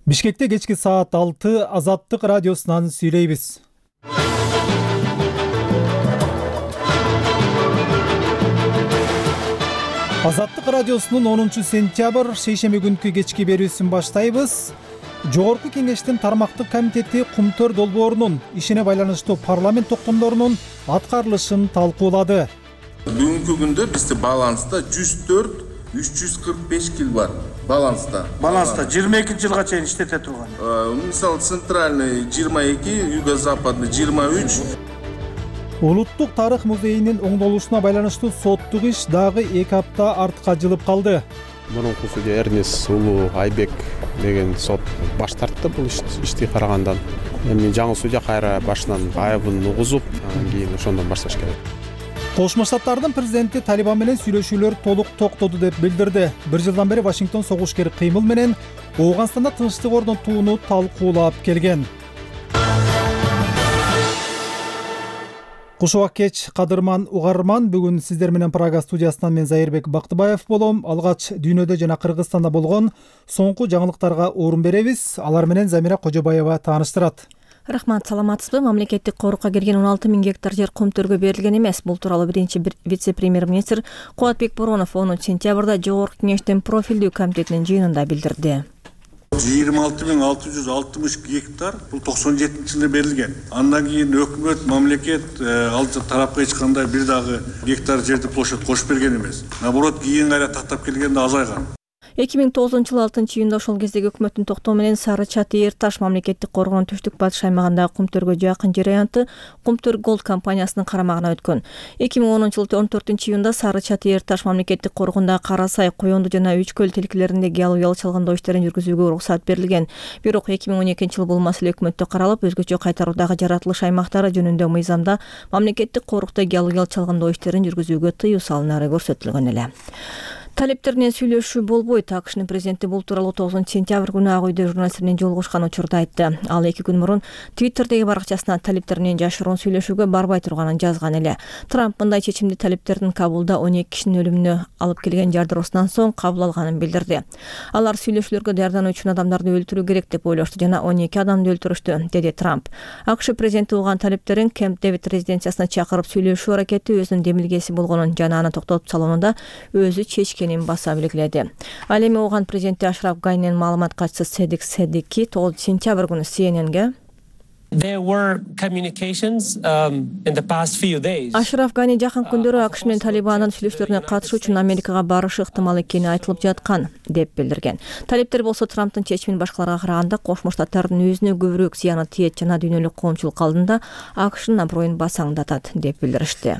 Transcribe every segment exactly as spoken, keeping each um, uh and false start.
Бишкекте кечки саат алты Азаттык радиосунан сүйлөйбүз. Азаттык радиосунун онунчу сентябрь шейшемби күнкү кечки берүүсүн баштайбыз. Жогорку кеңештин тармактык комитети Кумтөр долбоорунун ишине байланыштуу парламент токтомдорунун аткарылышын талкуулады. Бүгүнкү күндө бизде баланста жүз төрт үч жүз кырк беш кил бар. Баланста. Баланста жыйырма экинчи жылга чейин иштете турган. Мисалы центральный жыйырма эки, юго-западный жыйырма үч. Улуттук тарых музейинин оңдолушуна байланыштуу соттук иш дагы эки апта артка жылып калды. Мурунку судья Эрнес Улуу Айбек деген сот баш тартты бул ишти карагандан. Эми жаңы судья кайра башынан айыбын угузуп, кийин ошондон башташ керек. Кошмо Штаттардын президенти Талибан менен сүйлөшүүлөр толук токтоду деп билдирди. Бир жылдан бери Вашингтон согушкер кыймыл менен Ооганстанда тынчтык орнотууну талкуулап келген. Кушубак кеч кадырман угарман, бүгүн сиздер менен Прага студиясынан мен Зайырбек Бактыбаев болом. Алгач дүйнөдө жана Кыргызстанда болгон соңку жаңылыктарга орун беребиз. Алар менен Замира Кожобаева тааныштырат. Рахмат, саламатсызбы? Мамлекеттик корукка кирген он алты миң гектар жер Кумтөргө берилген эмес. Бул тууралуу биринчи вице-премьер-министр Кубатбек Боронов онунчу сентябрда Жогорку кеңештин профилдүү комитетинин жыйынында билдирди. жыйырма алты миң алты жүз алтымыш гектар бул токсон жетинчи жылы берилген. Андан кийин өкмөт, мамлекет ал тарапка эч кандай бир дагы гектар жерди площадь кошуп берген эмес. Наоборот, кийин кайра тактап келгенде азайган. эки миң тогузунчу жылы алтынчы июнда ошол кездеги өкмөттүн токтоо менен Сары Чаты Эр Таш мамлекеттик коргоонун түштүк батыш аймагындагы Кумтөргө жакын жер аянты Кумтөр Голд компаниясынын карамагына өткөн. эки миң онунчу жылы он төртүнчү июнда Сары Чаты Эр Таш мамлекеттик коргоондагы Кара Сай, Коёнду жана Үч көл тилкелеринде геологиялык чалгындоо иштерин жүргүзүүгө уруксат берилген. Бирок эки миң он экинчи жылы бул маселе өкмөттө каралып, өзгөчө кайтаруудагы жаратылыш аймактары жөнүндө мыйзамда мамлекеттик корукта геологиялык чалгындоо иштерин жүргүзүүгө тыюу салынары көрсөтүлгөн эле. Талиптер менен сүйлөшүү болбойт. АКШнын президенти бул тууралуу тогузунчу сентябрь күнү Ак үйдө журналисттер менен жолугушкан учурда айтты. Ал эки күн мурун Твиттердеги баракчасына талиптер менен жашыруун сүйлөшүүгө барбай турганын жазган эле. Трамп мындай чечимди талиптердин Кабулда он эки кишинин өлүмүнө алып келген жардыруусунан соң кабыл алганын билдирди. Алар сүйлөшүүлөргө даярдануу үчүн адамдарды өлтүрүү керек деп ойлошту жана он эки адамды өлтүрүштү, деди Трамп. АКШ президенти уган талиптерин Кэмп Дэвид резиденциясына чакырып сүйлөшүү аракети өзүнүн демилгеси болгонун жана аны токтотуп салуунда өзү чечкен баса белгиледи. Ал эми ооган президенти Ашраф Ганинин маалымат катчысы Седик Седики тогузунчу сентябрь күнү Си Эн Энге There were communications um, in the past few days. Ашраф Гани жакын күндөрү АКШ менен Талибандын сүйлөшүүлөрүнө катышуу үчүн Америкага барышы ыктымал экени айтылып жаткан деп билдирген. Талиптер болсо Трамптын чечимин башкаларга караганда Кошмо Штаттардын өзүнө көбүрөөк зыяны тиет жана дүйнөлүк коомчулук алдында АКШнын аброюн басаңдатат деп билдиришти.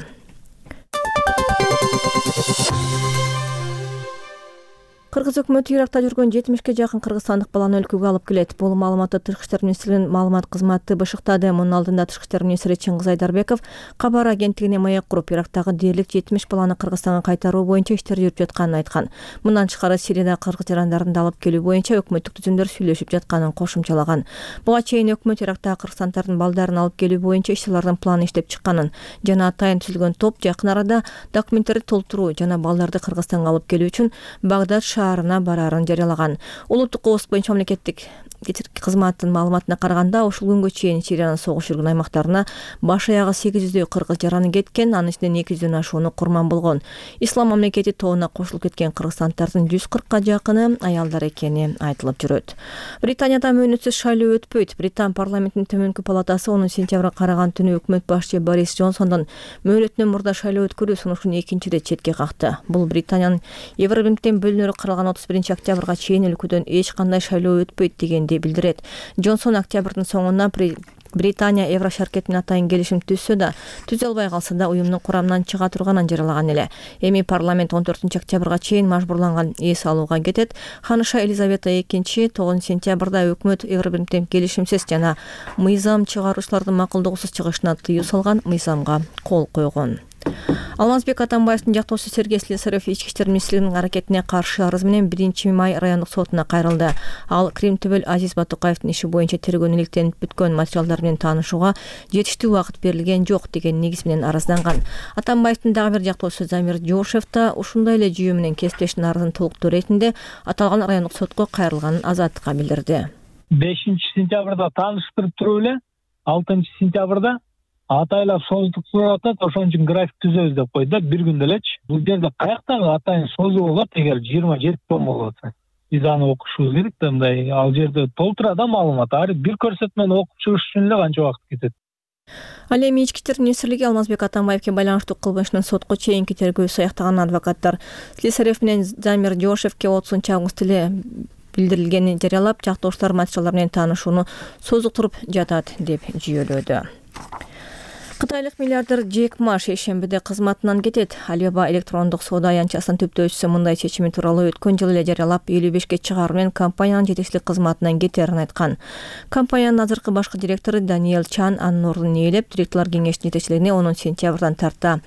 Кыргыз өкмөтү Иракта жүргөн жетимишке жакын кыргызстандык баланы өлкөгө алып келет. Бул маалыматты Тышкы иштер министрлигинин маалымат кызматы бышыктады. Мунун алдында Тышкы иштер министри Чыңгыз Айдарбеков кабар агенттигине маек куруп, Ирактагы дээрлик жетимиш баланы Кыргызстанга кайтаруу боюнча иштер жүрүп жатканын айткан. Мындан тышкары Сирияда кыргыз жарандарын алып келүү боюнча өкмөттүк түзүмдөр сүйлөшүп жатканын кошумчалаган. Буга чейин өкмөт Ирактагы кыргызстандардын балдарын алып келүү боюнча иш-чаралардын планын иштеп чыкканын жана атайын түзүлгөн топ жакын арада документтерди толтуруу жана балдарды Кыргызстанга алып келүү үчүн Багдад шаарына барарын жарыялаган. Улуттук коопсуздук боюнча мамлекеттик кызматтын маалыматына караганда, ушул күнгө чейин Сириянын согуш жүргөн аймактарына баш аягы сегиз жүздөй кыргыз жараны кеткен, анын ичинде эки жүздөн ашууну курман болгон. Ислам мамлекети тобуна кошулуп кеткен кыргызстандардын жүз кыркка жакыны аялдар экени айтылып жүрөт. Британияда мөөнөтсүз шайлоо өтпөйт. Британ парламентинин төмөнкү палатасы онунчу сентябрга караган түнү өкмөт башчы Борис Джонсондун мөөнөтүнөн мурда шайлоо өткөрүү сунушун экинчи ирет четке какты. Бул Британиянын Евробирликтен бөлүнөрү каралган отуз биринчи октябрга чейин өлкөдөн эч кандай шайлоо өтпөйт дегенди билдирет. Джонсон октябрдын соңуна Британия Евро шаркет менен атайын келишим түзсө да, түзө албай калса да уюмдун курамынан чыга турганын жарыялаган эле. Эми парламент он төртүнчү октябрга чейин мажбурланган эс алууга кетет. Ханыша Елизавета экинчи тогузунчу сентябрда өкмөт Евробирликтен келишимсиз жана мыйзам чыгаруучулардын макулдугусуз чыгышына тыюу салган мыйзамга кол койгон. Алмазбек Атамбаевдин жактоосу Сергей Слесарев ички иштер министрлигинин аракетине каршы арыз менен биринчи май райондук сотуна кайрылды. Ал Крим түбөл Азиз Батукаевдин иши боюнча тергөөнүн иликтенип бүткөн материалдар менен таанышууга жетиштүү убакыт берилген жок деген негиз менен арызданган. Атамбаевдин дагы бир жактоосу Замир Жошев да ушундай эле жүйө менен кесиптештин арызын толуктоо иретинде аталган райондук сотко кайрылганын Азаттыкка билдирди. бешинчи сентябрда тааныштырып туруп эле алтынчы сентябрда атайлап создук сурап атат, ошон үчүн график түзөбүз деп койду да, бир күндө элечи. Бул жерде каяктагы атайын созуу болот эгер жыйырма жети том болуп атса. Биз аны окушубуз керек да, мындай ал жерде толтура да маалымат. Ар бир көрсөтмөнү окуп чыгыш үчүн эле канча убакыт кетет. Ал эми ички иштер министрлиги Алмазбек Атамбаевке байланыштуу кылмыштын сотко чейинки тергөөсү аяктаган адвокаттар Слесарев менен Замир Жошевке отузунчу август эле билдирилгенин жарыялап, жактоошулар материалдар менен таанышууну созуктуруп жатат деп жүйөлөдү. Кытайлык миллиардер Джек Ма шейшембиде кызматынан кетет. Alibaba электрондук соода аянтчасынын түптөөчүсү мындай чечими тууралуу өткөн жылы эле жарыялап, элүү бешке чыгаруу менен компаниянын жетекчилик кызматынан кетерин айткан. Компаниянын азыркы башкы директору Даниэл Чан анын ордун ээлеп, директорлор кеңешинин жетекчилигине он сентябрдан тарта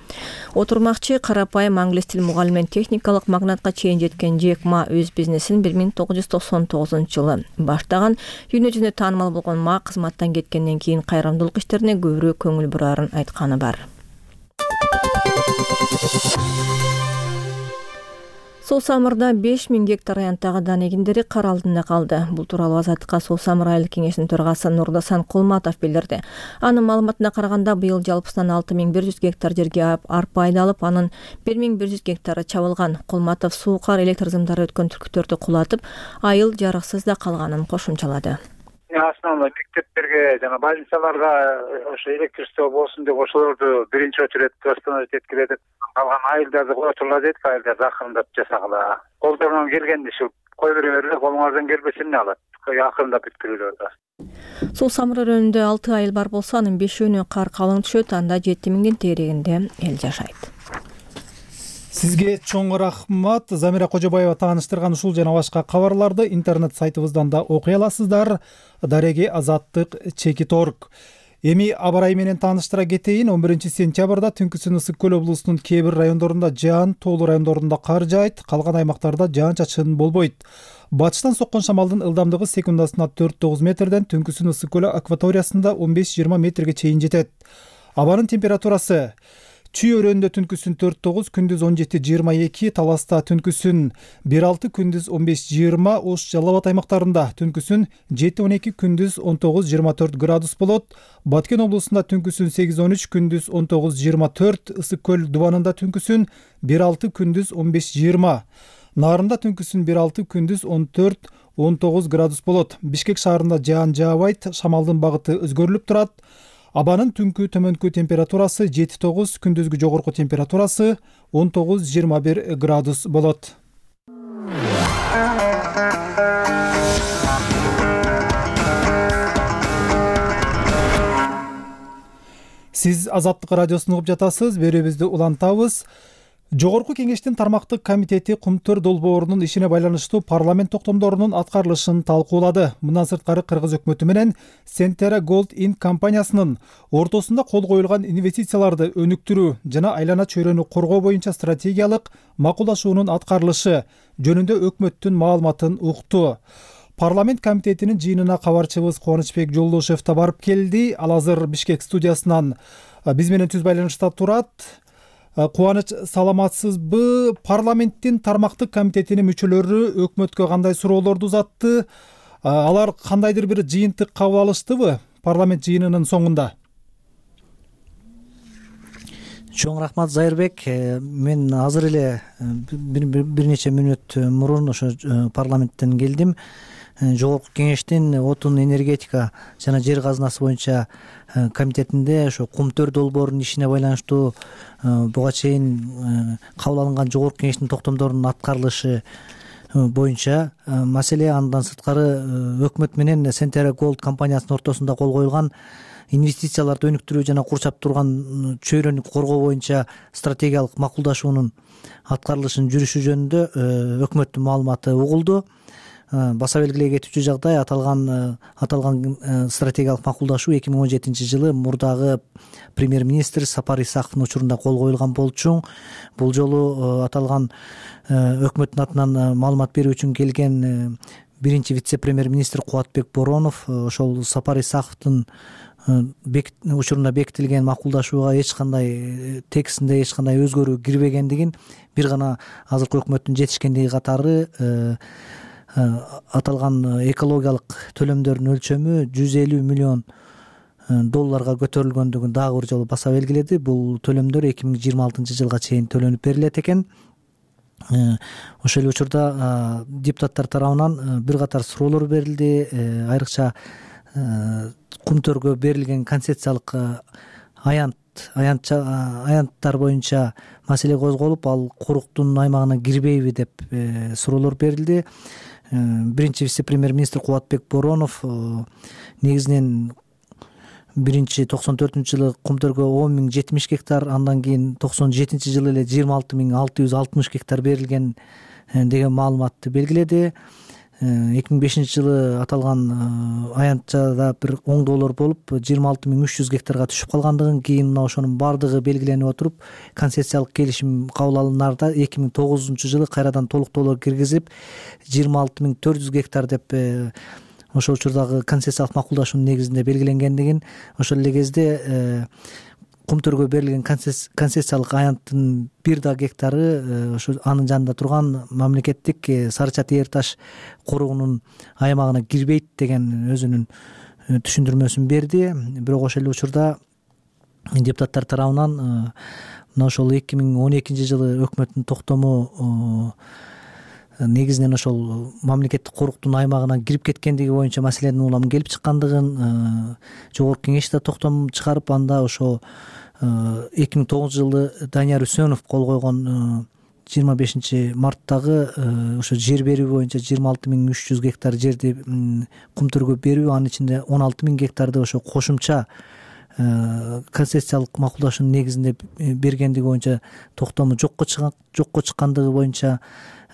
отурмакчы. Карапайым англис тил мугалими менен техникалык магнатка чейин жеткен Джек Ма өз бизнесин бир миң тогуз жүз токсон тогузунчу жылы баштаган. Дүйнө жүзүндө таанымал болгон Ма кызматтан кеткенден кийин кайрымдуулук иштерине көбүрөөк көңүл бурарын айтканы бар. Суу Самырда беш миң гектар аянттагы дан эгиндери кар алдында калды. Бул тууралуу Азаттыкка Суу Самыр айылдык кеңешинин төрагасы Нурдасан Кулматов билдирди. Анын маалыматына караганда, быйыл жалпысынан алты миң бир жүз гектар жерге арпа айдалып, анын бир миң бир жүз гектары чабылган. Кулматов суу, кар, электр сымдары өткөн түркүттөрдү кулатып, айыл жарыксыз да калганын кошумчалады. Основной мектептерге жана больницаларга ошо электричество болсун деп ошолорду биринчи очередь восстановить эткиле деп калган айылдарды кое турла дедик, айылдарды акырындап жасагыла. Колдорунан келгенди ушу кой бере берле, колуңардан келбесе эмне кылат? Акырындап бүткүлүлөр да. Суу Самыр өрөөнүндө алты айыл бар болсо, анын бешөөнү кар калың түшөт, анда жети миңдин тегерегинде эл жашайт. Сизге чоң рахмат. Замира Кожобаева тааныштырган ушул жана башка кабарларды интернет сайтыбыздан да окуй аласыздар. Дареги Азаттык чекит орг. Эми аба ырайы менен тааныштыра кетейин. он биринчи сентябрда түнкүсүн Ысык көл облусунун кээ бир райондорунда жаан, тоолуу райондорунда кар жаайт, калган аймактарда жаан-чачын болбойт. Батыштан соккон шамалдын ылдамдыгы секундасына төрт тогуз метрден түнкүсүн Ысык көлү акваториясында он беш жыйырма метрге чейин жетет. Абанын температурасы: Чүй өрөөнүндө түнкүсүн төрт тогуз, күндүз он жети жыйырма эки, Таласта түнкүсүн бир алты, күндүз он беш жыйырма, Ош Жалал Абад аймактарында түнкүсүн жети он эки, күндүз он тогуз жыйырма төрт градус болот. Баткен облусунда түнкүсүн сегиз он үч, күндүз он тогуз жыйырма төрт, Ысык көл дубанында түнкүсүн бир алты, күндүз он беш жыйырма, Нарында түнкүсүн бир алты, күндүз он төрт он тогуз градус болот. Бишкек шаарында жаан жаабайт, шамалдын багыты өзгөрүлүп турат. Абанын түнкү төмөнкү температурасы жети тогуз, күндүзгү жогорку температурасы он тогуз жыйырма бир градус болот. Сиз Азаттык радиосун угуп жатасыз, берүүбүздү улантабыз. Жогорку кеңештин тармактык комитети Кумтөр долбоорунун ишине байланыштуу парламент токтомдорунун аткарылышын талкуулады. Мындан сырткары Кыргыз өкмөтү менен Centera Gold Inc компаниясынын ортосунда кол коюлган инвестицияларды өнүктүрүү жана айлана чөйрөнү коргоо боюнча стратегиялык макулдашуунун аткарылышы жөнүндө өкмөттүн маалыматын укту. Парламент комитетинин жыйынына кабарчыбыз Кубанычбек Жолдошев да барып келди. Ал азыр Бишкек студиясынан биз менен түз байланышта турат. Кубаныч, саламатсызбы? Парламенттин тармактык комитетинин мүчөлөрү өкмөткө кандай суроолорду узатты? Алар кандайдыр бир жыйынтык кабыл алыштыбы парламент жыйынынын соңунда? Чоң рахмат, Зайырбек. Мен азыр эле бир нече мүнөт мурун ошо парламенттен келдим. Жогорку кеңештин отун, энергетика жана жер казынасы боюнча комитетинде ошо Кумтөр долбоорунун ишине байланыштуу буга чейин кабыл алынган жогорку кеңештин токтомдорунун аткарылышы боюнча маселе. Андан сырткары өкмөт менен Centera Gold компаниясынын ортосунда кол коюлган инвестицияларды өнүктүрүү жана курчап турган чөйрөнү коргоо боюнча стратегиялык макулдашуунун аткарылышынын жүрүшү жөнүндө өкмөттүн маалыматы угулду. Баса белгилей кетүүчү жагдай, аталган аталган стратегиялык макулдашуу эки миң он жетинчи жылы мурдагы премьер-министр Сапар Исаковдун учурунда кол коюлган болчу. Бул жолу аталган өкмөттүн атынан маалымат берүү үчүн келген биринчи вице-премьер-министр Кубатбек Боронов ошол Сапар Исаковдун учурунда бекитилген макулдашууга эч кандай текстинде эч кандай өзгөрүү кирбегендигин, бир гана азыркы өкмөттүн жетишкендиги катары аталган экологиялык төлөмдөрдүн өлчөмү жүз элүү миллион долларга көтөрүлгөндүгүн дагы бир жолу баса белгиледи. Бул төлөмдөр эки миң жыйырма алтынчы жылга чейин төлөнүп берилет экен. Ошол эле учурда депутаттар тарабынан бир катар суроолор берилди. Айрыкча кумтөргө берилген концессиялык аянт аянттар боюнча маселе козголуп, ал коруктун аймагына кирбейби деп суроолор берилди. Биринчи вице-премьер-министр Кубатбек Боронов негизинен биринчи токсон төртүнчү жылы кумтөргө он миң жетимиш гектар, андан кийин токсон жетинчи жылы эле жыйырма алты миң алты жүз алтымыш гектар берилген деген маалыматты белгиледи. эки миң бешинчи жылы аталган аянтчада бир оңдоолор болуп жыйырма алты миң үч жүз гектарга түшүп калгандыгын, кийин мына ошонун баардыгы белгиленип отуруп концессиялык келишим кабыл алынаарда эки миң тогузунчу жылы кайрадан толуктоолор киргизип жыйырма алты миң төрт жүз гектар деп ошол учурдагы концессиялык макулдашуунун негизинде белгиленгендигин, ошол эле кезде кумтөргө берилген концессиялык аянттын бир да гектары ошо анын жанында турган мамлекеттик Сары Ча Тээр Таш коругунун аймагына кирбейт деген өзүнүн түшүндүрмөсүн берди. Бирок ошол эле учурда депутаттар тарабынан мына ошол эки миң он экинчи жылы өкмөттүн токтому негизинен ошол мамлекеттик коруктун аймагына кирип кеткендиги боюнча маселенин улам келип чыккандыгын жогорку кеңеш да токтом чыгарып, анда ошо эки миң тогузунчу жылы Данияр Үсөнов кол койгон жыйырма бешинчи марттагы ошо жер берүү боюнча жыйырма алты миң үч жүз гектар жерди кумтөргө берүү, анын ичинде он алты миң гектарды ошо кошумча концессиялык макулдашуунун негизинде бергендиги боюнча токтому жокко жокко чыккандыгы боюнча,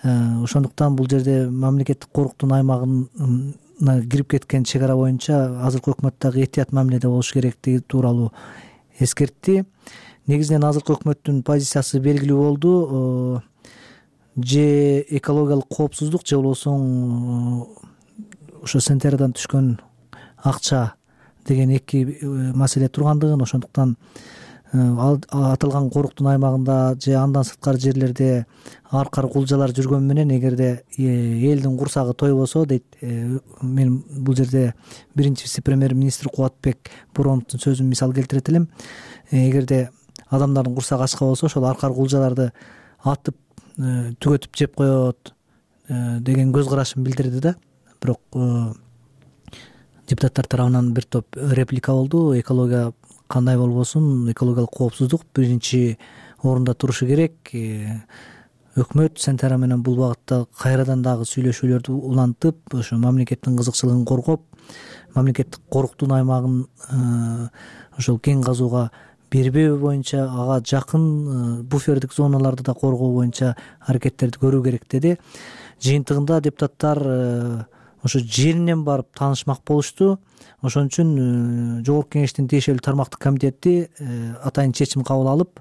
ошондуктан бул жерде мамлекеттик коруктун аймагына кирип кеткен чек ара боюнча азыркы өкмөт дагы этият мамиледе болуш керектиги тууралуу эскертти. Негизинен азыркы өкмөттүн позициясы белгилүү болду. Же экологиялык коопсуздук, же болбосо ошо Сентерадан түшкөн акча деген эки маселе тургандыгын, ошондуктан аталган коруктун аймагында же андан сырткары жерлерде аркар кулжалар жүргөн менен эгерде элдин курсагы тойбосо дейт. Мен бул жерде биринчи вице-премьер-министр Кубатбек Бороновдун сөзүн мисал келтирет элем. Эгерде адамдардын курсагы ачка болсо ошол аркар кулжаларды атып түгөтүп жеп коет деген көз карашын билдирди да. Бирок депутаттар тарабынан бир топ реплика болду. Экология кандай болбосун, экологиялык коопсуздук биринчи орунда турушу керек. Өкмөт Сентера менен бул багытта кайрадан дагы сүйлөшүүлөрдү улантып, ошо мамлекеттин кызыкчылыгын коргоп, мамлекеттик коруктун аймагын ошол кен казууга бербөө боюнча, ага жакын буфердик зоналарды да коргоо боюнча аракеттерди көрүү керек деди. Жыйынтыгында депутаттар ошо жеринен барып таанышмак болушту. Ошон үчүн жогорку кеңештин тиешелүү тармактык комитети атайын чечим кабыл алып,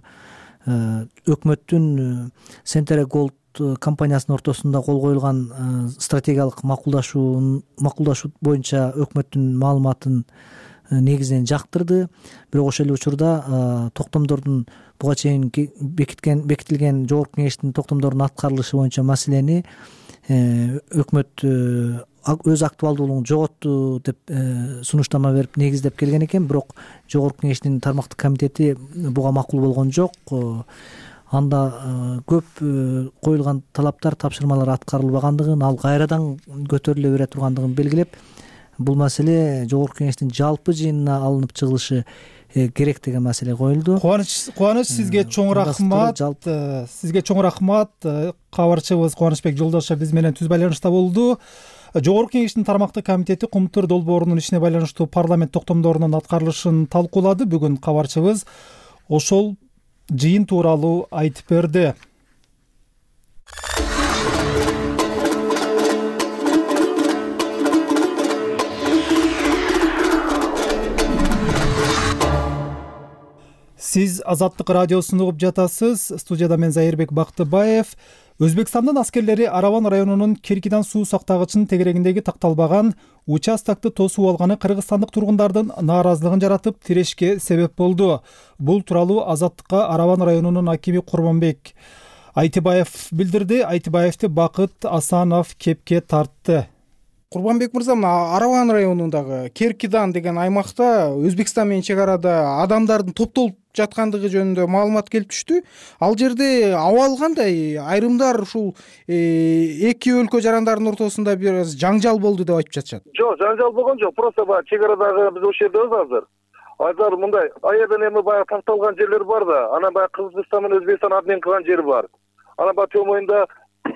өкмөттүн Сентера Голд компаниясынын ортосунда кол коюлган стратегиялык макулдашуу макулдашуу боюнча өкмөттүн маалыматын негизинен жактырды. Бирок ошол эле учурда токтомдордун буга чейин бекиткен бекитилген жогорку кеңештин токтомдорунун аткарылышы боюнча маселени өкмөт өз актуалдуулугун жоготту деп сунуштама берип негиздеп келген экен. Бирок жогорку кеңештин тармактык комитети буга макул болгон жок. Анда көп коюлган талаптар, тапшырмалар аткарылбагандыгын, ал кайрадан көтөрүлө бере тургандыгын белгилеп, бул маселе жогорку кеңештин жалпы жыйынына алынып чыгылышы керек деген маселе коюлду. Кубаныч кубаныч сизге чоң рахмат. Сизге чоң рахмат. Кабарчыбыз Кубанычбек Жолдошов биз менен түз байланышта болду. Жогорку кеңештин тармактык комитети Кумтөр долбоорунун ишине байланыштуу парламент токтомдорунун аткарылышын талкуулады. Бүгүн кабарчыбыз ошол жыйын тууралуу айтып берди. Сиз Азаттык радиосун угуп жатасыз. Студияда мен Зайырбек Бактыбаев. Өзбекстандын аскерлери Араван районунун Керкидан суу сактагычынын тегерегиндеги такталбаган участокты тосуп алганы кыргызстандык тургундардын нааразылыгын жаратып, тирешке себеп болду. Бул тууралуу Азаттыкка Араван районунун акими Курманбек Айтыбаев билдирди. Айтыбаевди Бакыт Асанов кепке тартты. Курбанбек мырза, мына Араван районундагы Керкидан деген аймакта Өзбекстан менен чек арада адамдардын топтолуп жаткандыгы жөнүндө маалымат келип түштү. Ал жерде абал кандай? Айрымдар ушул эки өлкө жарандарынын ортосунда бир аз жаңжал болду деп айтып жатышат. Жок, жаңжал болгон жок. Просто баягы чек арадагы биз ошол жердебиз азыр. Азыр мындай аерден эми баягы такталган жерлер бар да, анан баягы Кыргызстан менен Өзбекстан обмен кылган жери бар. Анан баягы төмөйүндө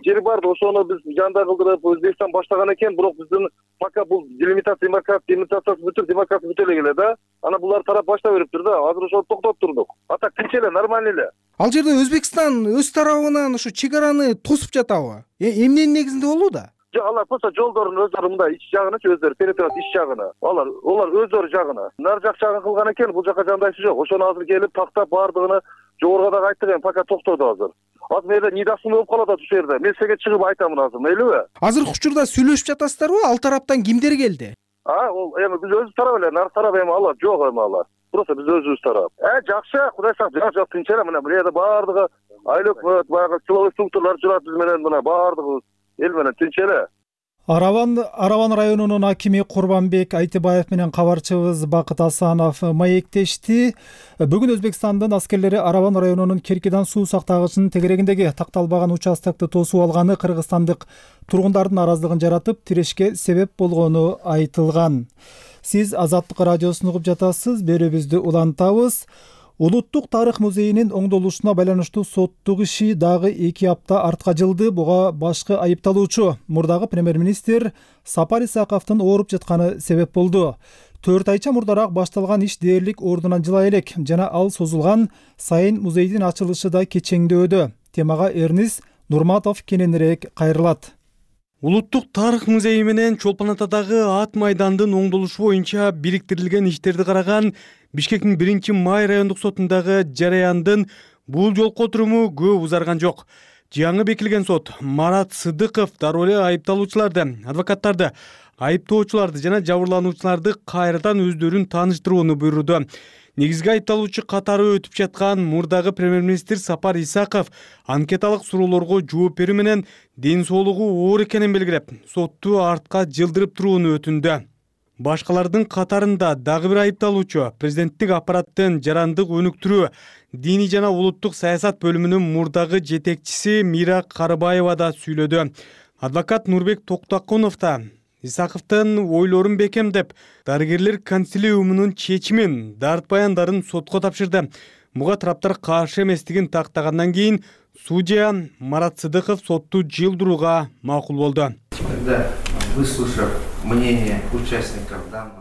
жери бар да, ошону биз жанда кылдырып Өзбекстан баштаган экен, бирок биздин пока бул делимитация, демаркациясы бүтүп, демаркация бүтө эле келе да. Анан булар тарап баштап бериптир да. Азыр ошол токтоп турдук. А так тинч эле, нормально эле. Ал жерде Өзбекстан өз тарабынан ушу чек араны тосуп жатабы? Эмненин негизинде болууда? Жок, алар просто жолдордун өздөрү мындай ич жагынычы өздөрү перетет ич жагына. Алар олар өздөрү жагына. Нар жак жагын кылган экен, бул жака жандайчы жок. Ошону азыр келип тактап баардыгын жогорго дагы айттык, эми пока токтоду азыр. Азыр мерде нидасым болуп калат ушул жерде. Мен сизге чыгып айтамын азыр, мейлиби? Азыркы учурда сүйлөшүп жатасыздарбы? Ал тараптан кимдер келди? А, ол эми биз өзүбүз тарап эле, нар тарап эми алар жок эми алар. Просто биз өзүбүз тарап. Э, жакшы, Кудай сактасын, жак жак тынч эле, мына бул жерде баардыгы айлык баягы силовой структуралар жүрөт биз менен, мына баардыгыбыз эл менен тынч эле. Араван Араван районунун акими Курбанбек Айтыбаев менен кабарчыбыз Бакыт Асанов маектешти. Бүгүн Өзбекстандын аскерлери Араван районунун Керкидан суу сактагычынын тегерегиндеги такталбаган участокты тосуп алганы кыргызстандык тургундардын наразылыгын жаратып, тирешке себеп болгону айтылган. Сиз Азаттык радиосун угуп жатасыз. Берүүбүздү улантабыз. Улуттук тарых музейинин оңдолушуна байланыштуу соттук иши дагы эки апта артка жылды. Буга башкы айыпталуучу мурдагы премьер-министр Сапар Исаковдун ооруп жатканы себеп болду. Төрт айча мурдараак башталган иш дээрлик ордунан жыла элек жана ал созулган сайын музейдин ачылышы да кечеңдөөдө. Темага Эрнис Нурматов кененирээк кайрылат. Улуттук тарых музейи менен Чолпон Атадагы ат майдандын оңдолушу боюнча бириктирилген иштерди караган Бишкектин биринчи май райондук сотундагы жараяндын бул жолку отуруму көп узарган жок. Жаңы бекилген сот Марат Сыдыков дароо эле айыпталуучуларды, адвокаттарды, айыптоочуларды жана жабырлануучуларды кайрадан өздөрүн тааныштырууну буйруду. Негизги айыпталуучу катары өтүп жаткан мурдагы премьер-министр Сапар Исаков анкеталык суроолорго жооп берүү менен ден соолугу оор экенин белгилеп, сотту артка жылдырып турууну өтүндү. Башкалардын катарында дагы бир айыпталуучу президенттик аппараттын жарандык өнүктүрүү, диний жана улуттук саясат бөлүмүнүн мурдагы жетекчиси Мира Карыбаева да сүйлөдү. Адвокат Нурбек Токтакунов да Исаковдун ойлорун бекемдеп, дарыгерлер консилиумунун чечимин, дарт баяндарын сотко тапшырды. Буга тараптар каршы эместигин тактагандан кийин судья Марат Сыдыков сотту жылдырууга макул болду.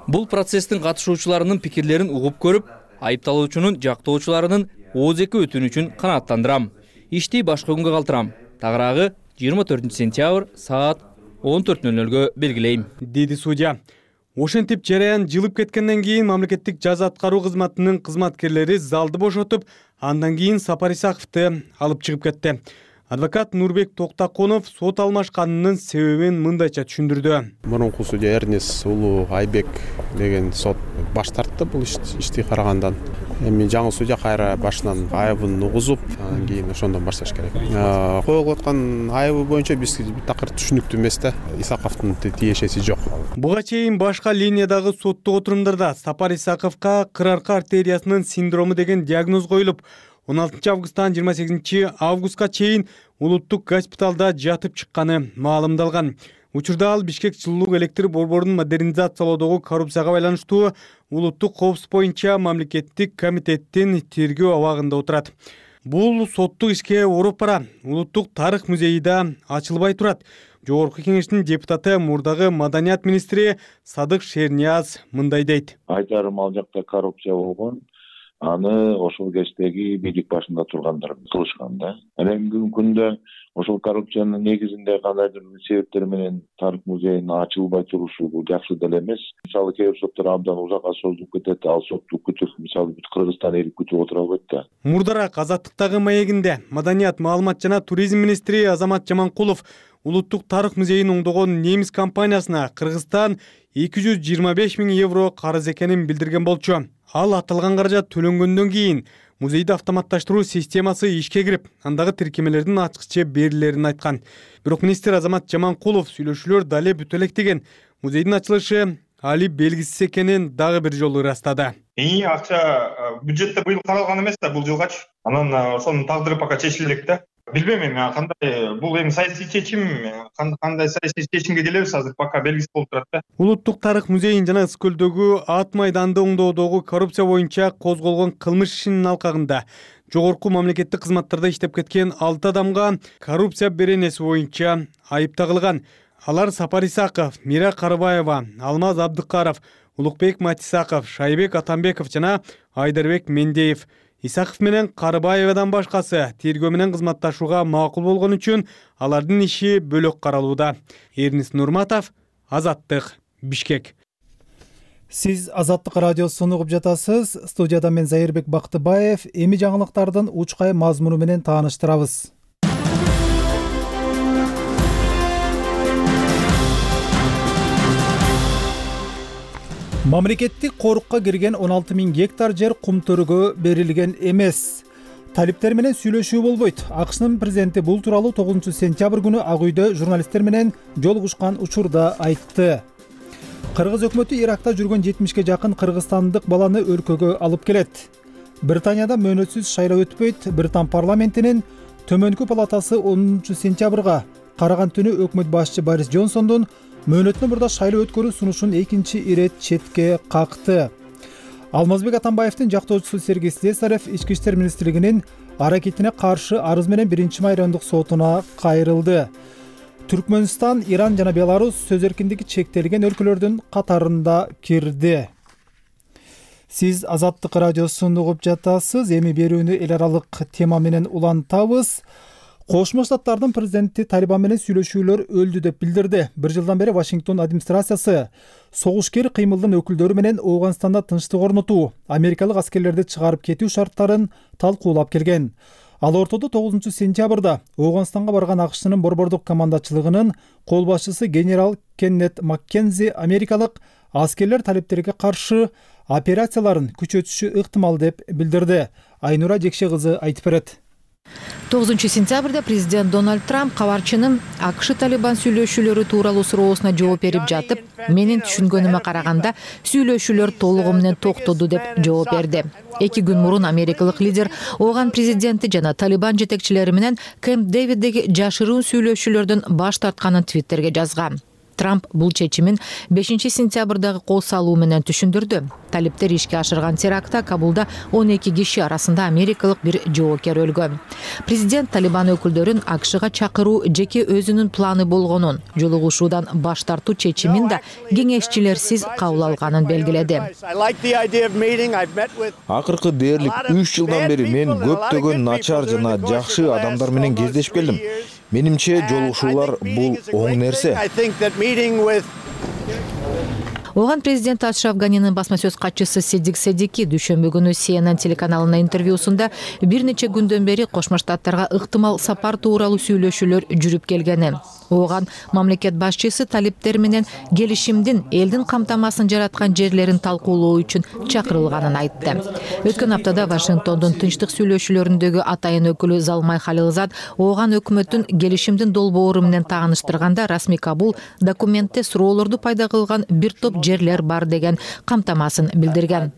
Бул процесстин катышуучуларынын пикирлерин угуп көрүп, айыпталуучунун жактоочуларынын ооз-эки өтүнүчүн канааттандырам. Ишти башка күнгө калтырам. Тагыраагы жыйырма төртүнчү сентябрь саат он төрт нөл нөлгө белгилейм, деди судья. Ошентип жараян жылып кеткенден кийин мамлекеттик жаза аткаруу кызматынын кызматкерлери залды бошотуп, андан кийин Сапар Исаковду алып чыгып кетти. Адвокат Нурбек Токтакунов сот алмашканынын себебин мындайча түшүндүрдү. Мурунку судья Эрнис Улуу Айбек деген сот баш тартты бул ишти карагандан. Эми жаңы судья кайра башынан айыбын угузуп, анан кийин ошондон башташ керек. Коюлуп аткан айыбы боюнча биз такыр түшүнүктүү эмес да, Исаковдун тиешеси жок. Буга чейин башка линиядагы соттук отурумдарда Сапар Исаковго кыр арка артериясынын синдрому деген диагноз коюлуп, он алтынчы августтан жыйырма сегизинчи августка чейин улуттук госпиталда жатып чыкканы маалымдалган. Учурда ал Бишкек жылуулук электр борборунун модернизациялоодогу коррупцияга байланыштуу улуттук коопсуздук боюнча мамлекеттик комитеттин тергөө абагында отурат. Бул соттук ишке ооруп бара улуттук тарых музейи да ачылбай турат. Жогорку кеңештин депутаты мурдагы маданият министри Садык Шернияз мындай дейт. Айтарым, ал жакта коррупция болгон. Аны ошол кечтеги бийлик башында тургандар кылышкан да. Бүгүнкү күндө ошол коррупциянын негизинде кандайдыр бир себептер менен тарых музейинин ачылбай турушу бул жакшы деле эмес. Мисалы кээ бир соттор абдан узакка созулуп кетет, ал сотту күтүп, мисалы бүт Кыргызстан эли күтүп отура албайт да. Мурдараак Азаттыктагы маегинде маданият, маалымат жана туризм министри Азамат Жаманкулов улуттук тарых музейин оңдогон немис компаниясына Кыргызстан эки жүз жыйырма беш миң евро карыз экенин билдирген болчу. Ал аталган каражат төлөнгөндөн кийин музейди автоматташтыруу системасы ишке кирип, андагы тиркемелердин ачкыча берилерин айткан. Бирок министр Азамат Жаманкулов сүйлөшүүлөр дале бүтө элек деген. Музейдин ачылышы али белгисиз экенин дагы бир жолу ырастады. И акча бюджетте быйыл каралган эмес да, бул жылгачы. Анан ошонун тагдыры пока чечиле элек да. Билбейм эми кандай, бул эми саясий чечим, кандай саясий чечимге келебиз азыр пока белгисиз болуп турат да. Улуттук тарых музейин жана Ысык көлдөгү Ат майданды оңдоодогу коррупция боюнча козголгон кылмыш ишинин алкагында жогорку мамлекеттик кызматтарда иштеп кеткен алты адамга коррупция беренеси боюнча айып тагылган. Алар Сапар Исаков, Мира Карыбаева, Алмаз Абдыкаров, Улукбек Матисаков, Шайбек Атамбеков жана Айдарбек Мендеев. Исаков менен Карыбаевадан башкасы тергөө менен кызматташууга макул болгон үчүн алардын иши бөлөк каралууда. Эрнис Нурматов, Азаттык, Бишкек. Сиз Азаттык радиосун угуп жатасыз. Студияда мен Зайырбек Бактыбаев. Эми жаңылыктардын учкай мазмуну менен тааныштырабыз. Мамлекеттик корукка кирген он алты миң гектар жер кум төрөгө берилген эмес. Талиптер менен сүйлөшүү болбойт. АКШнын президенти бул тууралуу тогузунчу сентябрь күнү Ак үйдө журналисттер менен жолугушкан учурда айтты. Кыргыз өкмөтү Иракта жүргөн жетимишке жакын кыргызстандык баланы өлкөгө алып келет. Британияда мөөнөтсүз шайлоо өтпөйт. Британ парламентинин төмөнкү палатасы онунчу сентябрга караган түнү өкмөт башчы Борис Джонсондун мөөнөтүнөн мурда шайлоо өткөрүү сунушун экинчи ирет четке какты. Алмазбек Атамбаевдин жактоочусу Сергей Слесарев Ички иштер министрлигинин аракетине каршы арыз менен биринчи майрандык сотуна кайрылды. Түркмөнстан, Иран жана Беларусь сөз эркиндиги чектелген өлкөлөрдүн катарында кирди. Сиз Азаттык радиосун угуп жатасыз. Эми берүүнү эл аралык тема менен улантабыз. Кошмо Штаттардын президенти Талибан менен сүйлөшүүлөр өлдү деп билдирди. Бир жылдан бери Вашингтон администрациясы согушкер кыймылдын өкүлдөрү менен Ооганстанда тынчтык орнотуу, америкалык аскерлерди чыгарып кетүү шарттарын талкуулап келген. Ал ортодо тогузунчу сентябрда Ооганстанга барган АКШнын борбордук командачылыгынын кол башчысы генерал Кеннет Маккензи америкалык аскерлер талиптерге каршы операцияларын күчөтүшү ыктымал деп билдирди. Айнура Жекше кызы айтып берет. тогузунчу сентябрда президент Дональд Трамп кабарчынын АКШ Талибан сүйлөшүүлөрү тууралуу суроосуна жооп берип жатып, менин түшүнгөнүмө караганда сүйлөшүүлөр толугу менен токтоду деп жооп берди. Эки күн мурун америкалык лидер Ооган президенти жана Талибан жетекчилери менен Кэмп Дэвиддеги жашыруун сүйлөшүүлөрдөн баш тартканын Твиттерге жазган. Трамп бул чечимин бешинчи сентябрдагы кол салуу менен түшүндүрдү. Талиптер ишке ашырган терактта Кабулда он эки киши арасында америкалык бир жоокер өлгөн. Президент Талибан өкүлдөрүн АКШга чакыруу жеке өзүнүн планы болгонун, жолугушуудан баш тартуу чечимин да кеңешчилерсиз кабыл алганын белгиледи. Акыркы дээрлик үч жылдан бери мен көптөгөн начар жана жакшы адамдар менен кездешип келдим. Менимче жолугушуулар бул оң нерсе. Ооган президент Ашраф Ганинин басма сөз катчысы Седик Седики дүйшөмбү күнү Си Эн Эн телеканалына интервьюсунда бир нече күндөн бери Кошмо Штаттарга ыктымал сапар тууралуу сүйлөшүүлөр жүрүп келгени. Ооган мамлекет башчысы талиптер менен келишимдин элдин камтамасын жараткан жерлерин талкуулоо үчүн чакырылганын айтты. Өткөн аптада Вашингтондун тынчтык сүйлөшүүлөрүндөгү атайын өкүлү Залмай Халилзад Ооган өкмөтүн келишимдин долбоору менен тааныштырганда расмий Кабул документте суроолорду пайда кылган бир топ жерлер бар деген камтамасын билдирген.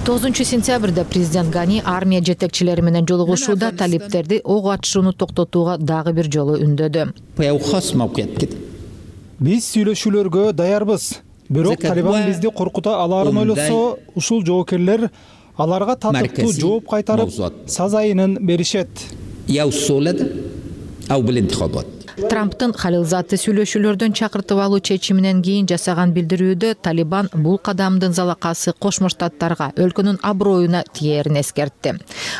тогузунчу сентябрда президент Гани армия жетекчилери менен жолугушууда талиптерди ок атышууну токтотууга дагы бир жолу үндөдү. Биз сүйлөшүүлөргө даярбыз. Бирок Талибан бизди коркута алаарын ойлосо, ушул жоокерлер аларга татыктуу жооп кайтарып, сазайынын беришет. Трамптын Халилзатты сүйлөшүүлөрдөн чакыртып алуу чечиминен кийин жасаган билдирүүдө Талибан бул кадамдын залакасы Кошмо Штаттарга, өлкөнүн аброюна тиерин эскертти.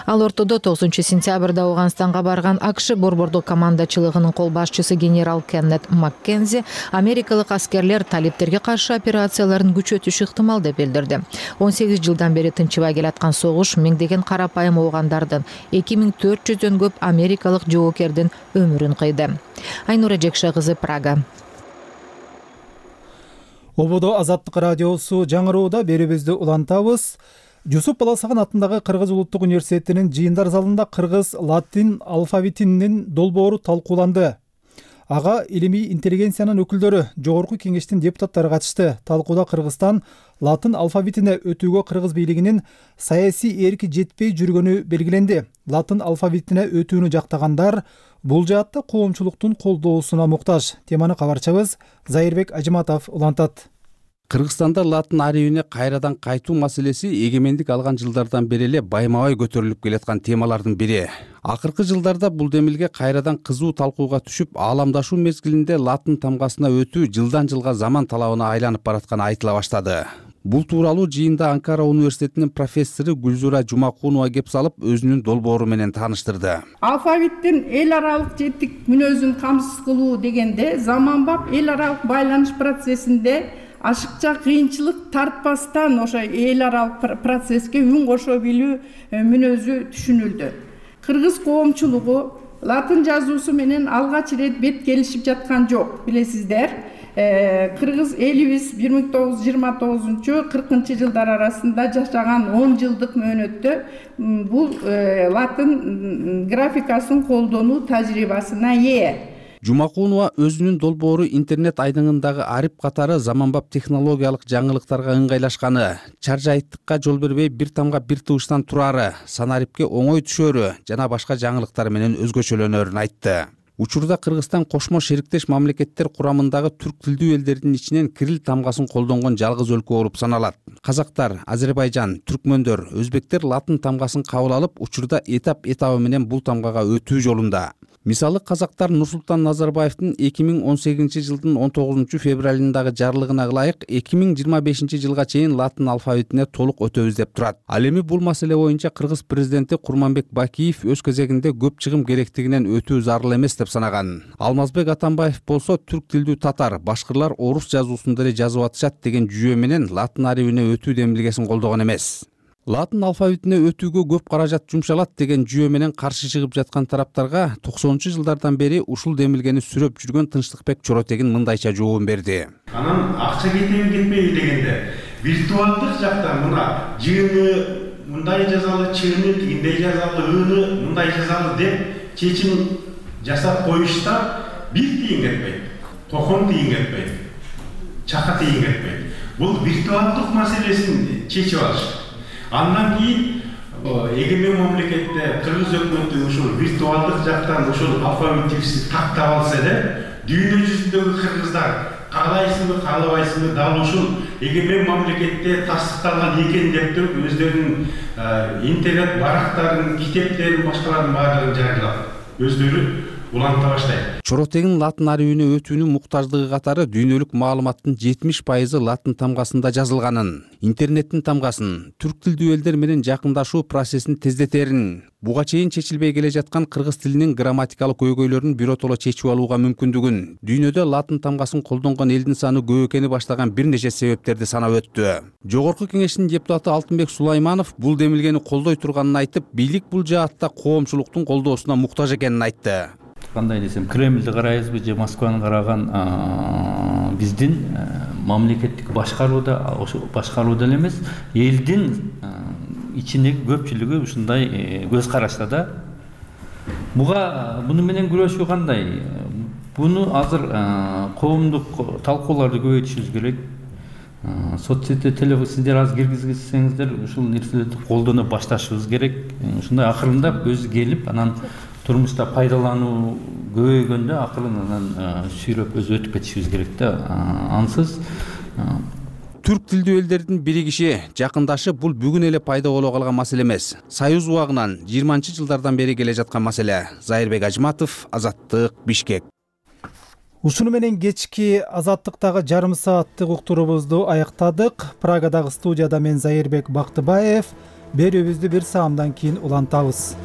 Ал ортодо тогузунчу сентябрда Ооганстанга барган АКШ борбордук командачылыгынын кол башчысы генерал Кеннет Маккензи америкалык аскерлер талиптерге каршы операцияларын күчөтүшү ыктымал деп билдирди. он сегиз жылдан бери тынчыбай келаткан согуш миңдеген карапайым оогандардын эки миң төрт жүздөн көп америкалык жоокердин өмүрүн кыйды. Айнура Жекше кызы, Прага. ободо Азаттык радиосу жаңырууда берүүбүздү улантабыз. Жусуп Баласагын атындагы Кыргыз улуттук университетинин жыйындар залында кыргыз латин алфавитинин долбоору талкууланды. Ага илимий интеллигенциянын өкүлдөрү, жогорку кеңештин депутаттары катышты. Талкууда Кыргызстан латын алфавитине өтүүгө кыргыз бийлигинин саясий эрки жетпей жүргөнү белгиленди. Латын алфавитине өтүүнү жактагандар бул жаатта коомчулуктун колдоосуна муктаж. Теманы кабарчыбыз Зайырбек Ажыматов улантат. Кыргызстанда латын арийине кайрадан кайтуу маселеси эгемендик алган жылдардан бери эле байма-бай көтөрүлүп келаткан темалардын бири. Акыркы жылдарда бул демилге кайрадан кызуу талкууга түшүп, ааламдашуу мезгилинде латын тамгасына өтүү жылдан жылга заман талабына айланып баратканы айтыла баштады. Бул тууралуу жыйында Анкара университетинин профессору Гүлзура Жумакунова кеп салып, өзүнүн долбоору менен тааныштырды. Алфавиттин эл аралык жеттик мүнөзүн камсыз кылуу дегенде заманбап эл аралык байланыш процессинде ашыкча кыйынчылык тартпастан ошо эл аралык процесске үн кошо билүү мүнөзү түшүнүлдү. Кыргыз коомчулугу латын жазуусу менен алгач ирет бет келишип жаткан жок, билесиздер. Кыргыз элибиз бир миң тогуз жүз жыйырма тогузунчу кыркынчы жылдар арасында жашаган он жылдык мөөнөттө бул латын графикасын колдонуу тажрыйбасына ээ. Жумакунова өзүнүн долбоору интернет айдыңындагы арип катары заманбап технологиялык жаңылыктарга ыңгайлашканы, чаржайыттыкка жол бербей бир тамга бир тыбыштан турары, санарипке оңой түшөрү жана башка жаңылыктар менен өзгөчөлөнөрүн айтты. Учурда Кыргызстан кошмо шериктеш мамлекеттер курамындагы түрк тилдүү элдердин ичинен кирилл тамгасын колдонгон жалгыз өлкө болуп саналат. Казактар, Азербайжан, түркмөндөр, өзбектер латын тамгасын кабыл алып, учурда этап этабы менен бул тамгага өтүү жолунда. Мисалы казактар Нурсултан Назарбаевдин эки миң он сегизинчи жылдын он тогузунчу февралындагы жарлыгына ылайык эки миң жыйырма бешинчи жылга чейин латын алфавитине толук өтөбүз деп турат. Ал эми бул маселе боюнча Кыргыз президенти Курманбек Бакиев өз кезегинде көп чыгым керектигинен өтүү зарыл эмес деп санаган. Алмазбек Атамбаев болсо түрк тилдүү татар, башкырлар орус жазуусунда эле жазып атышат деген жүйө менен латын арийине өтүү демилгесин колдогон эмес. Латын алфавитине өтүүгө көп каражат жумшалат деген жүйө менен каршы чыгып жаткан тараптарга токсонунчу жылдардан бери ушул демилгени сүрөп жүргөн Тынчтыкбек Чоротегин мындайча жообун берди. Анан акча кетеби кетпеби дегенде виртуалдык жакта мына жыыны мындай жазалы, чыыны тигиндей жазалы, ыны мындай жазалы деп чечим жасап коюшта бир тыйын кетпейт, токон тыйын кетпейт, чака тыйын кетпейт. Бул виртуалдык маселесин чечип алыш. Андан кийин эгемен мамлекетте Кыргыз өкмөтү ушул виртуалдык жактан ушул алфавитибизди тактап алса эле, дүйнө жүзүндөгү кыргыздар каалайсыңбы, каалабайсыңбы дал ушул эгемен мамлекетте тастыкталган экен деп туруп өздөрүнүн интернет барактарын, китептерин, башкалардын баардыгын жарыялап, өздөрү уланта баштайт. Чоротегин латын арийине өтүүнүн муктаждыгы катары дүйнөлүк маалыматтын жетимиш пайызы латын тамгасында жазылганын, интернеттин тамгасын, түрк тилдүү элдер менен жакындашуу процессин тездетерин, буга чейин чечилбей келе жаткан кыргыз тилинин грамматикалык көйгөйлөрүн биротоло чечип алууга мүмкүндүгүн, дүйнөдө латын тамгасын колдонгон элдин саны көп экени баштаган бир нече себептерди санап өттү. Жогорку кеңештин депутаты Алтынбек Сулайманов бул демилгени колдой турганын айтып, бийлик бул жаатта коомчулуктун колдоосуна муктаж экенин айтты. Кандай десем, Кремлди карайбызбы же Москваны караган биздин мамлекеттик башкарууда, ошо башкарууда эле эмес, элдин ичиндеги көпчүлүгү ушундай көз карашта да. Буга буну менен күрөшүү кандай? Буну азыр коомдук талкууларды көбөйтүшүбүз керек. Соцсетте телефон сиздер аз киргизсеңиздер, ушул нерселерди колдоно башташыбыз керек. Ушундай акырындап өзү келип, анан турмушта пайдалануу көбөйгөндө акырын сүйрөп өзү өтүп кетишибиз керек да. Ансыз түрк тилдүү элдердин биригиши, жакындашып бул бүгүн эле пайда боло калган маселе эмес. Союз убагынан жыйырманчы жылдардан бери келе жаткан маселе. Зайырбек Ажыматов, Азаттык, Бишкек. Ушуну менен кечки Азаттыктагы жарым сааттык уктуруубузду аяктадык. Прагадагы студияда мен Зайырбек Бактыбаев. Берүүбүздү бир саамдан кийин улантабыз.